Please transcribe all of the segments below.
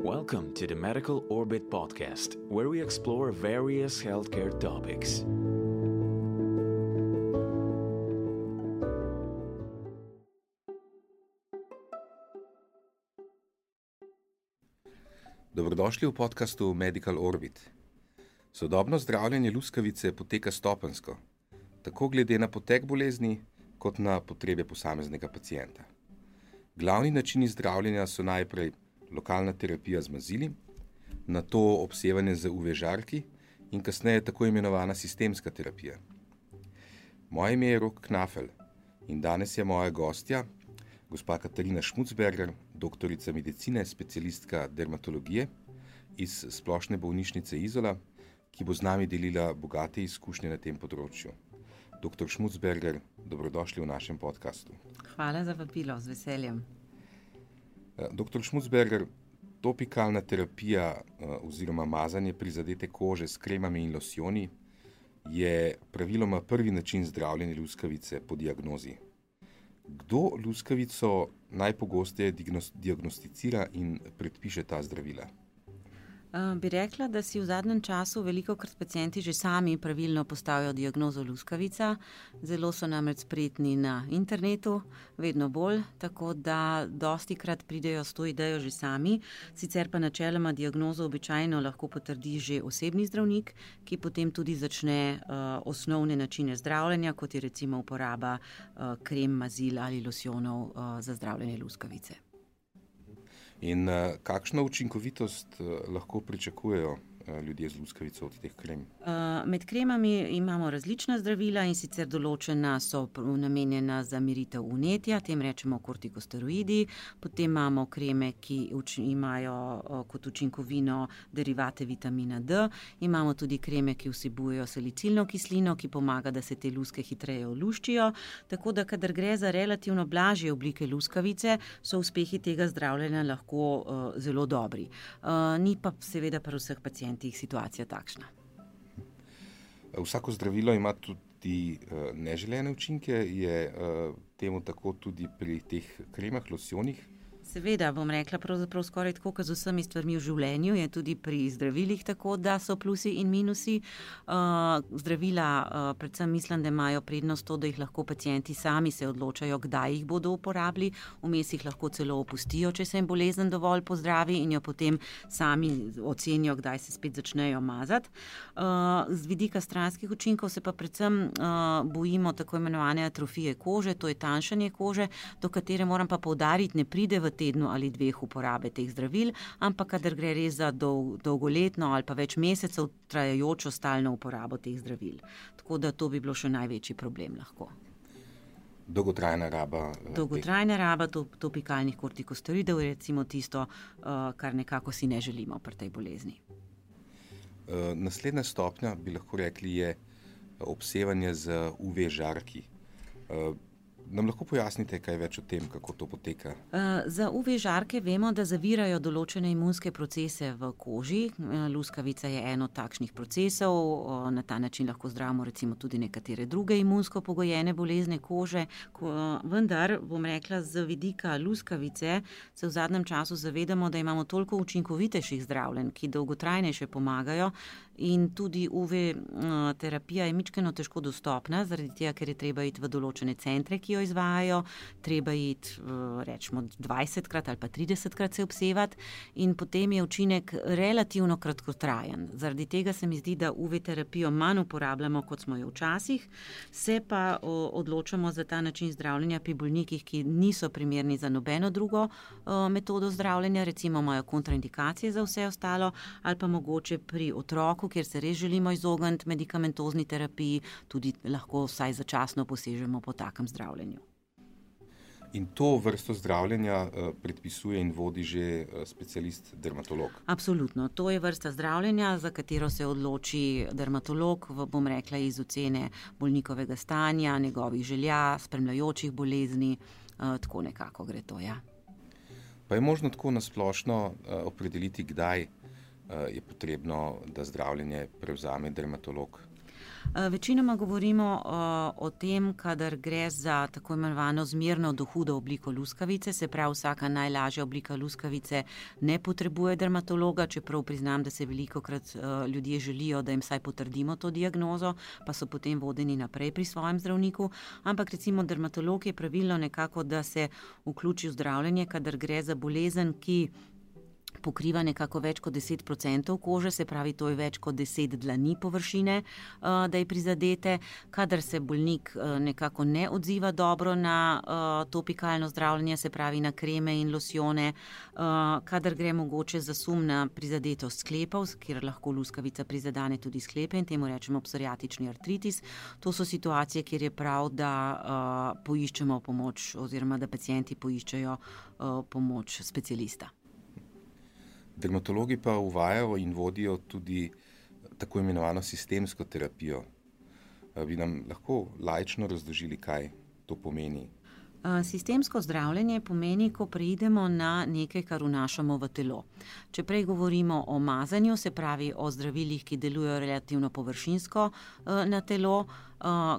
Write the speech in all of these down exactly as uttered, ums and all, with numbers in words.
Welcome to the Medical Orbit podcast, where we explore various healthcare topics. Dobrodošli v podkastu Medical Orbit. Sodobno zdravljenje luskavice poteka stopenjsko, tako glede na potek bolezni, kot na potrebe posameznega pacienta. Glavni načini zdravljenja so najprej lokalna terapija z mazili, nato obsevanje z U V žarki in kasneje tako imenovana sistemska terapija. Moje ime je Rok Knafel in danes je moja gostja, gospa Katarina Šmucberger, doktorica medicine, specialistka dermatologije iz Splošne bolnišnice Izola, ki bo z nami delila bogate izkušnje na tem področju. Doktor Šmucberger, dobrodošli v našem podkastu. Hvala za vabilo, z veseljem. Doktor Šmucberger, topikalna terapija oziroma mazanje prizadete kože s kremami in losjoni je praviloma prvi način zdravljenja luskavice po diagnozi. Kdo luskavico najpogosteje diagnosticira in predpiše ta zdravila? Uh, bi rekla, da si v zadnjem času velikokrat pacienti že sami pravilno postavijo diagnozo luskavica. Zelo so namreč spretni na internetu, vedno bolj, tako da dostikrat pridejo s to idejo že sami. Sicer pa načeloma diagnozo običajno lahko potrdi že osebni zdravnik, ki potem tudi začne uh, osnovne načine zdravljenja, kot je recimo uporaba uh, krem, mazil ali losjonov uh, za zdravljenje luskavice. In uh, kakšno učinkovitost uh, lahko pričakujejo ljudje z luskavico od teh krem? Uh, med kremami imamo različna zdravila in sicer določena so namenjena za miritev vnetja, tem rečemo kortikosteroidi, potem imamo kreme, ki uč- imajo uh, kot učinkovino derivate vitamina D, imamo tudi kreme, ki vsebujejo salicilno kislino, ki pomaga, da se te luske hitreje oluščijo, tako da kadar gre za relativno blažje oblike luskavice, so uspehi tega zdravljenja lahko uh, zelo dobri. Uh, ni pa seveda pri vseh pacientih situacija takšna. Vsako zdravilo ima tudi uh, neželene učinke, je uh, temu tako tudi pri teh kremah, losjonih? Seveda, bom rekla, pravzaprav skoraj tako, kot z vsemi stvarmi v življenju, je tudi pri zdravilih tako, da so plusi in minusi. Uh, zdravila, uh, predvsem mislim, da imajo prednost to, da jih lahko pacienti sami se odločajo, kdaj jih bodo uporabili, vmes jih lahko celo opustijo, če se jim bolezen dovolj pozdravi in jo potem sami ocenijo, kdaj se spet začnejo mazati. Uh, z vidika stranskih učinkov se pa predvsem uh, bojimo tako imenovane atrofije kože, to je tanjšanje kože, do katere moram pa poudariti, ne pride v tednu ali dveh uporabe teh zdravil, ampak kadar gre res za dol, dolgoletno ali pa več mesecev trajajočo stalno uporabo teh zdravil. Tako da to bi bilo še največji problem lahko. Dolgotrajna raba. Dolgotrajna raba topikalnih kortikosteroidov je recimo tisto, kar nekako si ne želimo pri tej bolezni. Naslednja stopnja, bi lahko rekli, je obsevanje z U V žarki. Nam lahko pojasnite kaj več o tem, kako to poteka? Uh, za U V žarke vemo, da zavirajo določene imunske procese v koži. Uh, luskavica je eno od takšnih procesov, uh, na ta način lahko zdravimo recimo tudi nekatere druge imunsko pogojene bolezne kože. Ko, uh, vendar, bom rekla, z vidika luskavice se v zadnjem času zavedamo, da imamo toliko učinkovitejših zdravljenj, ki dolgotrajnejše pomagajo in tudi U V uh, terapija je mičkeno težko dostopna, zaradi tega, ker je treba iti v določene centre, ki jo izvajajo, treba iti rečemo dvajsetkrat ali pa tridesetkrat se obsevati in potem je učinek relativno kratkotrajen. Zaradi tega se mi zdi, da U V terapijo manj uporabljamo, kot smo jo včasih, se pa odločamo za ta način zdravljenja pri bolnikih, ki niso primerni za nobeno drugo metodo zdravljenja, recimo imajo kontraindikacije za vse ostalo, ali pa mogoče pri otroku, kjer se res želimo izogniti medikamentozni terapiji, tudi lahko vsaj začasno posežemo po takem zdravljenju. In to vrsto zdravljenja predpisuje in vodi že specialist dermatolog? Absolutno. To je vrsta zdravljenja, za katero se odloči dermatolog, bom rekla, iz ocene bolnikovega stanja, njegovih želja, spremljajočih bolezni, tako nekako gre to, ja. Pa je možno tako nasplošno opredeliti, kdaj je potrebno, da zdravljenje prevzame dermatolog? Večinoma govorimo o tem, kadar gre za tako imenovano zmerno do hudo obliko luskavice, se pravi vsaka najlažja oblika luskavice ne potrebuje dermatologa, čeprav priznam, da se velikokrat ljudje želijo, da jim vsaj potrdimo to diagnozo, pa so potem vodeni naprej pri svojem zdravniku, ampak recimo dermatolog je pravilno nekako, da se vključi v zdravljenje, kadar gre za bolezen, ki pokriva nekako več kot deset procentov kože, se pravi, to je več kot deset dlani površine, da je prizadete. Kadar se bolnik nekako ne odziva dobro na topikalno zdravljenje, se pravi na kreme in losjone, kadar gre mogoče za sum na prizadetost sklepov, kjer lahko luskavica prizadane tudi sklepe in temu rečemo psoriatični artritis. To so situacije, kjer je prav, da poiščemo pomoč oziroma da pacienti poiščejo pomoč specialista. Dermatologi pa uvajajo in vodijo tudi tako imenovano sistemsko terapijo. Bi nam lahko laično razložili, kaj to pomeni? Sistemsko zdravljenje pomeni, ko preidemo na nekaj, kar vnašamo v telo. Če prej govorimo o mazanju, se pravi o zdravilih, ki delujejo relativno površinsko na telo,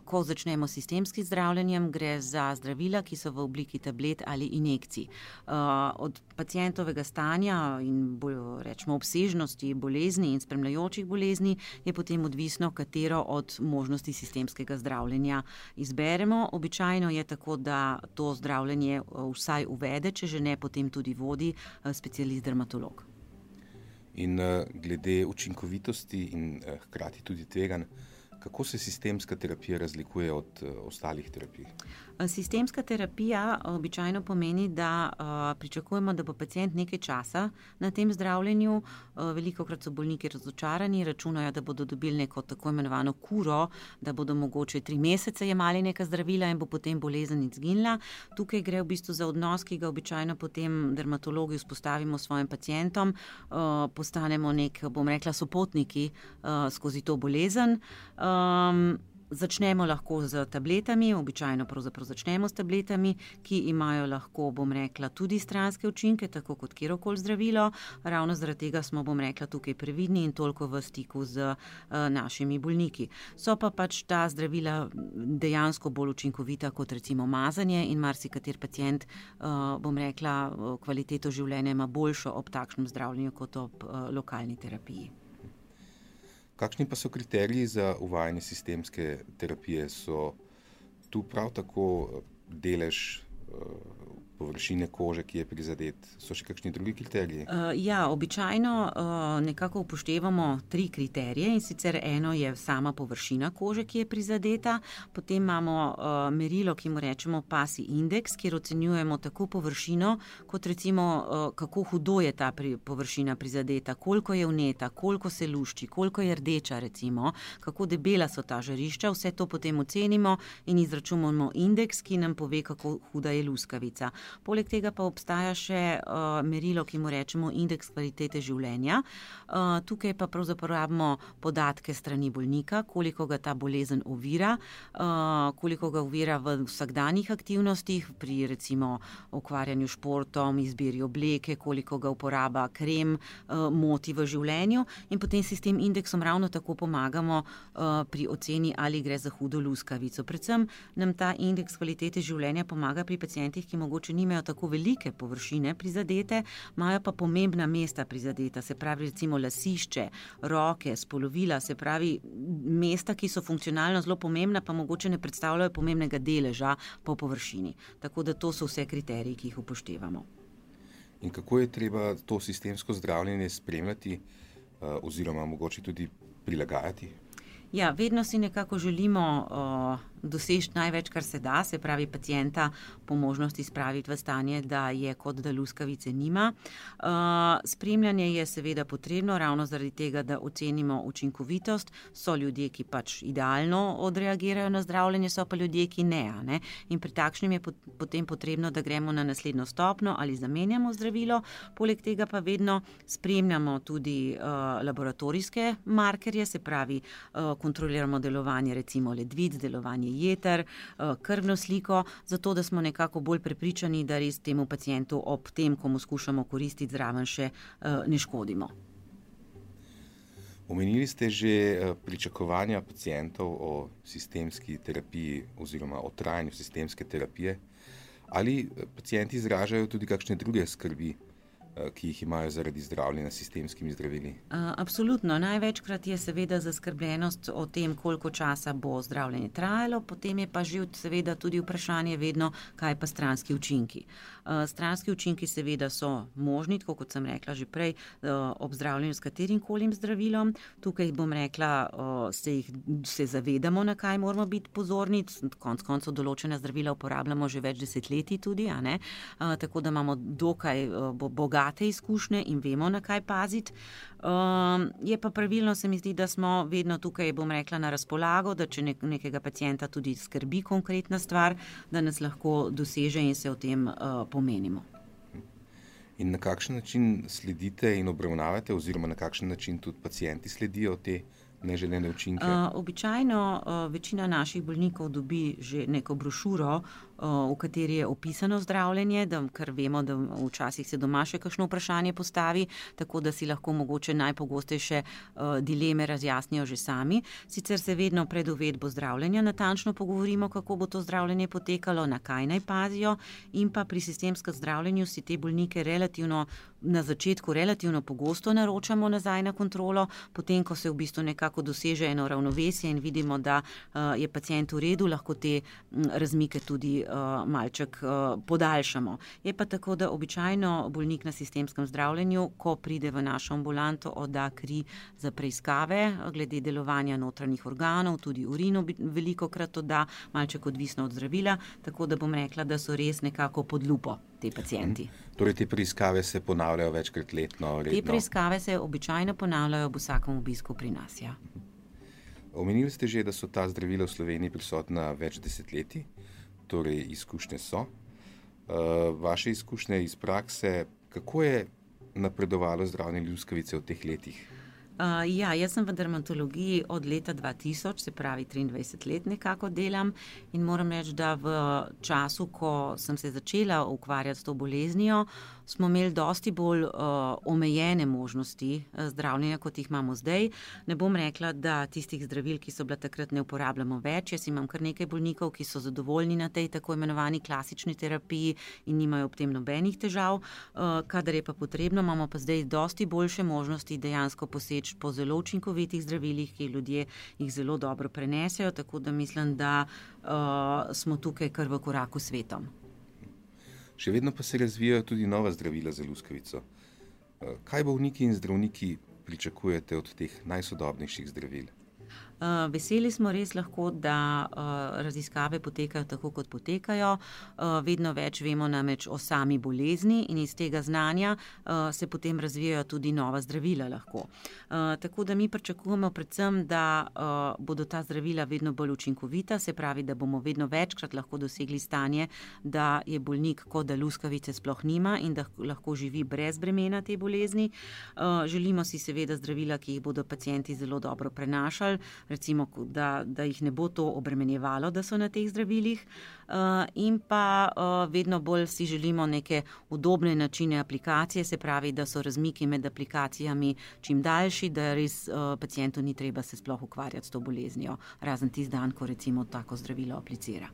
ko začnemo s sistemskim zdravljenjem, gre za zdravila, ki so v obliki tablet ali injekcij. Od pacientovega stanja in bolj rečemo obsežnosti bolezni in spremljajočih bolezni je potem odvisno, katero od možnosti sistemskega zdravljenja izberemo. Običajno je tako, da to zdravljenje vsaj uvede, če že ne, potem tudi vodi specialist dermatolog. In glede učinkovitosti in hkrati tudi tveganj, kako se sistemska terapija razlikuje od ostalih terapij? Sistemska terapija običajno pomeni, da pričakujemo, da bo pacient nekaj časa na tem zdravljenju. Velikokrat so bolniki razočarani, računajo, da bodo dobili neko tako imenovano kuro, da bodo mogoče tri mesece jemali neka zdravila in bo potem bolezen izginila. Tukaj gre v bistvu za odnos, ki ga običajno potem dermatologi vzpostavimo s svojim pacientom, postanemo nek, bom rekla, sopotniki skozi to bolezen. Um, začnemo lahko z tabletami, običajno pravzaprav začnemo s tabletami, ki imajo lahko, bom rekla, tudi stranske učinke, tako kot kjerokoli zdravilo. Ravno zaradi tega smo, bom rekla, tukaj previdni in toliko v stiku z uh, našimi bolniki. So pa pač ta zdravila dejansko bolj učinkovita kot recimo mazanje in marsikater pacient, uh, bom rekla, kvaliteto življenja ima boljšo ob takšnem zdravljenju kot ob uh, lokalni terapiji. Kakšni pa so kriteriji za uvajanje sistemske terapije? So tu prav tako delež površine kože, ki je prizadet? So še kakšni drugi kriteriji? Uh, ja, običajno uh, nekako upoštevamo tri kriterije in sicer eno je sama površina kože, ki je prizadeta, potem imamo uh, merilo, ki mu rečemo PASI indeks, kjer ocenjujemo tako površino, kot recimo uh, kako hudo je ta pri, površina prizadeta, koliko je vneta, koliko se lušči, koliko je rdeča recimo, kako debela so ta žarišča, vse to potem ocenimo in izračunamo indeks, ki nam pove, kako huda je luskavica. Poleg tega pa obstaja še uh, merilo, ki mu rečemo indeks kvalitete življenja. Uh, tukaj pa pravzaprav rabimo podatke strani bolnika, koliko ga ta bolezen ovira, uh, koliko ga ovira v vsakdanjih aktivnostih, pri recimo ukvarjanju športom, izbiri obleke, koliko ga uporaba krem, uh, moti v življenju in potem si s tem indeksom ravno tako pomagamo uh, pri oceni, ali gre za hudo luskavico. Predvsem nam ta indeks kvalitete življenja pomaga pri pacientih, ki mogoče nimajo tako velike površine prizadete, imajo pa pomembna mesta prizadeta, se pravi recimo lasišče, roke, spolovila, se pravi mesta, ki so funkcionalno zelo pomembna, pa mogoče ne predstavljajo pomembnega deleža po površini. Tako da to so vse kriteriji, ki jih upoštevamo. In kako je treba to sistemsko zdravljenje spremljati oziroma mogoče tudi prilagajati? Ja, vedno si nekako želimo uh, doseči največ, kar se da, se pravi pacienta po možnosti spraviti v stanje, da je kot da luskavice nima. Uh, spremljanje je seveda potrebno, ravno zaradi tega, da ocenimo učinkovitost. So ljudje, ki pač idealno odreagirajo na zdravljenje, so pa ljudje, ki ne. ne? In pri takšnem je pot- potem potrebno, da gremo na naslednjo stopnjo ali zamenjamo zdravilo. Poleg tega pa vedno spremljamo tudi uh, laboratorijske markerje, se pravi uh, kontroliramo delovanje recimo ledvic, delovanje jeter, krvno sliko, zato da smo nekako bolj prepričani, da res temu pacientu ob tem, ko mu skušamo koristiti zraven še, ne škodimo. Omenili ste že pričakovanja pacientov o sistemski terapiji oziroma o trajanju sistemske terapije. Ali pacienti izražajo tudi kakšne druge skrbi, ki jih imajo zaradi zdravljenja s sistemskimi zdravili? Absolutno. Največkrat je seveda zaskrbljenost o tem, koliko časa bo zdravljenje trajalo, potem je pa že seveda tudi vprašanje vedno, kaj pa stranski učinki. Stranski učinki seveda so možni, tako kot sem rekla že prej, ob zdravljenju s katerim kolim zdravilom. Tukaj bom rekla, se, jih, se zavedamo, na kaj moramo biti pozorni, konec koncev določena zdravila uporabljamo že več desetletij tudi, a ne? Tako da imamo dokaj bogat izkušnje in vemo, na kaj paziti. Um, je pa pravilno, se mi zdi, da smo vedno tukaj, bom rekla, na razpolago, da če nek- nekega pacienta tudi skrbi konkretna stvar, da nas lahko doseže in se o tem uh, pomenimo. In na kakšen način sledite in obravnavate oziroma na kakšen način tudi pacienti sledijo te neželene učinke? Uh, običajno uh, večina naših bolnikov dobi že neko brošuro, uh, v kateri je opisano zdravljenje, da, ker vemo, da včasih se doma še kakšno vprašanje postavi, tako da si lahko mogoče najpogostejše uh, dileme razjasnijo že sami. Sicer se vedno pred uvedbo zdravljenja natančno pogovorimo, kako bo to zdravljenje potekalo, na kaj naj pazijo, in pa pri sistemskem zdravljenju si te bolnike relativno na začetku relativno pogosto naročamo nazaj na kontrolo, potem, ko se v bistvu nekako doseže eno ravnovesje in vidimo, da uh, je pacient v redu, lahko te m, razmike tudi uh, malček uh, podaljšamo. Je pa tako, da običajno bolnik na sistemskem zdravljenju, ko pride v našo ambulanto, odda kri za preiskave glede delovanja notranjih organov, tudi urin veliko krat odda, malček odvisno od zdravila, tako da bom rekla, da so res nekako pod lupo te pacienti. Torej te preiskave se ponavljajo večkrat letno, redno? Te preiskave se običajno ponavljajo ob vsakem obisku pri nas, ja. Omenili ste že, da so ta zdravila v Sloveniji prisotna več desetletij, torej izkušnje so. Vaše izkušnje iz prakse, kako je napredovalo zdravljenje luskavice v teh letih? Uh, ja, jaz sem v dermatologiji od leta dva tisoč, se pravi triindvajset let nekako delam, in moram reči, da v času, ko sem se začela ukvarjati s to boleznijo, smo imeli dosti bolj uh, omejene možnosti zdravljenja, kot jih imamo zdaj. Ne bom rekla, da tistih zdravil, ki so bila takrat, ne uporabljamo več. Jaz imam kar nekaj bolnikov, ki so zadovoljni na tej tako imenovani klasični terapiji in nimajo ob tem nobenih težav. Uh, kadar je pa potrebno, imamo pa zdaj dosti boljše možnosti dejansko poseči po zelo učinkovitih zdravilih, ki ljudje jih zelo dobro prenesejo, tako da mislim, da uh, smo tukaj kar v koraku s svetom. Še vedno pa se razvijajo tudi nova zdravila za luskavico. Kaj bolniki in zdravniki pričakujete od teh najsodobnejših zdravil? Uh, veseli smo res lahko, da uh, raziskave potekajo tako, kot potekajo. Uh, vedno več vemo namreč o sami bolezni in iz tega znanja uh, se potem razvijajo tudi nova zdravila lahko. Uh, tako da mi pričakujemo predvsem, da uh, bodo ta zdravila vedno bolj učinkovita, se pravi, da bomo vedno večkrat lahko dosegli stanje, da je bolnik, kot da luskavice sploh nima in da lahko živi brez bremena te bolezni. Uh, želimo si seveda zdravila, ki jih bodo pacienti zelo dobro prenašali, recimo, da, da jih ne bo to obremenjevalo, da so na teh zdravilih, uh, in pa uh, vedno bolj si želimo neke udobne načine aplikacije, se pravi, da so razmiki med aplikacijami čim daljši, da res uh, pacientu ni treba se sploh ukvarjati s to boleznijo, razen tisti dan, ko recimo tako zdravilo aplicira.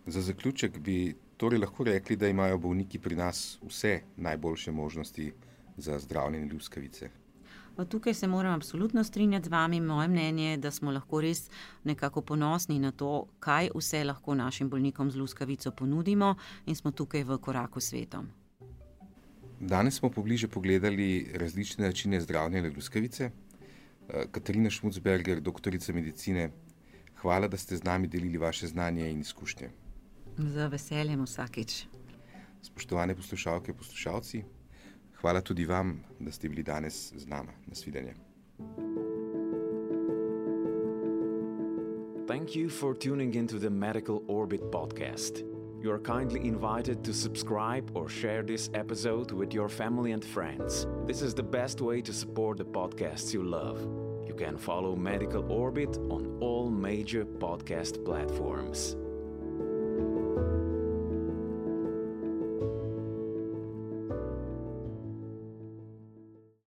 Za zaključek bi torej lahko rekli, da imajo bolniki pri nas vse najboljše možnosti za zdravljenje luskavice. Tukaj se moram absolutno strinjati z vami. Moje mnenje je, da smo lahko res nekako ponosni na to, kaj vse lahko našim bolnikom z luskavico ponudimo, in smo tukaj v koraku s svetom. Danes smo pobliže pogledali različne načine zdravljenja luskavice. Katarina Šmucberger, doktorica medicine, hvala, da ste z nami delili vaše znanje in izkušnje. Z veseljem vsakič. Spoštovane poslušalke, poslušalci, hvala tudi vam, da ste bili danes z nama. Nasvidenje. Thank you for tuning into the Medical Orbit podcast. You are kindly invited to subscribe or share this episode with your family and friends. This is the best way to support the podcasts you love. You can follow Medical Orbit on all major podcast platforms.